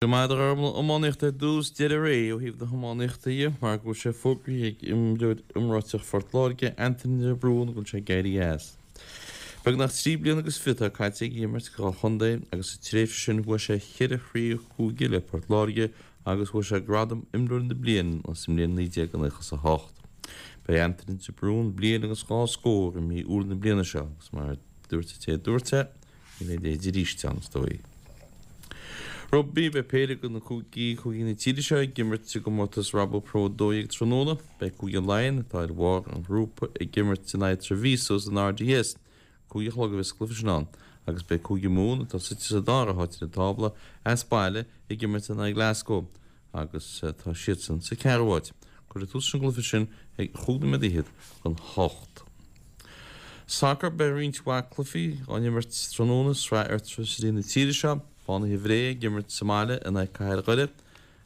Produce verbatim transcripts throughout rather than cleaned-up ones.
Maidir le iománaíocht ar dtús, deireadh ré ó thaobh na hiománaíochta dhe mar go bhfuil sé fógraithe ag imreoir iomráiteach Phort Láirge, Anthony de Brún, go bhfuil sé ag éirí as. Beagnach trí bliana agus fiche atá caite aige ag imirt do dhá chontae agus sa tréimhse sin bhuaigh sé cheithre chraobh chúige le Port Láirge agus bhuaigh sé gradam Imreoir na Bliana sa mbliain naoi déag nócha a hocht. Beidh Anthony de Brún bliain agus dhá scór i mí Iúil na bliana seo agus mar a dúirt an té a dúirt é, ní bheidh a leithéid arís ann, is dóigh. Rugbaí, beidh péire de na cúigí, cúigí na tíre seo ag imirt i gcomórtas Rabo Pro a dó dhéag tráthnóna. Beidh Cúige Laighean, atá ar bharr an ghrúpa, ag imirt in aghaidh Treviso san R D S. Cúig a chlog a bheas an cluiche sin ann. Agus beidh Cúige Mumhan, atá suite sa dara háit ar an tábla, as baile ag imirt in aghaidh Glasgow agus tá siadsan sa ceathrú háit. Cuirfear tús leis an gcluiche sin ag chúig nóiméad fhichead chun hocht. Sacar, beidh roinnt mhaith cluichí á n-imirt tráthnóna, sraith Airtricity na tíre seo. Fánaithe Bhré ag imirt sa mbaile in aghaidh Cathair Dhoire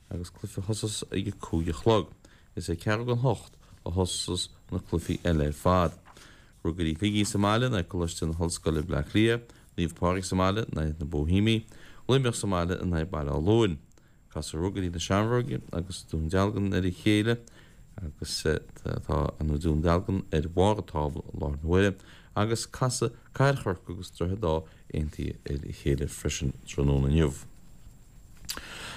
agus cluiche a thosós ag a cúig a chlog. Is ag ceathrú don hocht a thosós na cluichí eile ar fad. Ruagairí Shligigh sa mbaile in aghaidh Coláiste na hOllscoile Bleá Cliath, Naomh Pádraig sa mbaile in aghaidh na Bohemiaigh, Luimneach sa mbaile in aghaidh Baile Átha Luain. Casfaidh Ruagairí na Seamróige agus Dún Dealgan ar a chéile agus tá an Dún Dealgan ar bharr an tábla i láthair na huaire agus casfaidh Cathair Chorcaí agus Droichead Átha Aontaithe ar a chéile freisin tráthnóna inniu.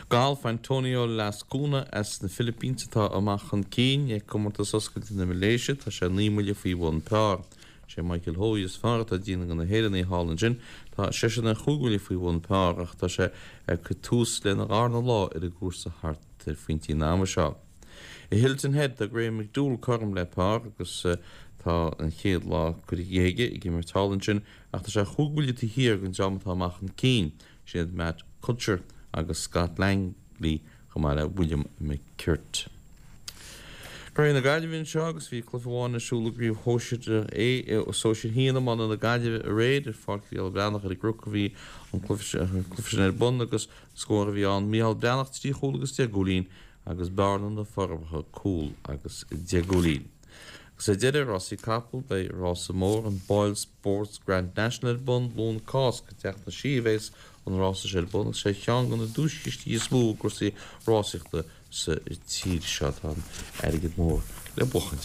Galf, Antonio Lascuna as na Philippines atá amach chun cinn ag comórtas oscailte na Malaeisia, tá sé naoi mbuille faoi bhun par. Sé Michael Ho is fearr atá ag déanamh do na hÉireannaigh thall ansin, tá seisean ar chúig bhuille faoi bhun par ach tá sé ag cur tús lena dharna lá ar an gcúrsa thart ar phointí an ama seo. I Hilton Head tá Graham McDowell cothrom le par agus tá an chéad lá curtha dhe aige ag imirt thall ansin ach tá sé chúig bhuille taobh thiar den dream atá amach chun cinn, siad Matt Kuchar agus Scott Langley chomh maith le William McKirt. Cluichí na Gaillimhe anseo agus bhí cluiche amháin ar siúl i gcraobh shóisir A, sóisir haon iomána na Gaillimhe aréir ar Pháirc Mhícheál Breathnach ar an gCnoc a bhí an cluiche sin ar bun agus scór a bhí ann Mícheál Breathnach trí chúl agus deich gcúilín agus Bearna na Forbacha cúl agus deich gcúilín. Agus ar deireadh, rásaí capall, beidh rása mór an Boyle Sports Grand National ar bun Luan Cásca i dTeach na Sí a bheas an rása seo ar bun agus sé cheann de na duaischistí is mó i gcúrsaí rásaíochta sa tír seo. Tá an airgead mór le buachaint.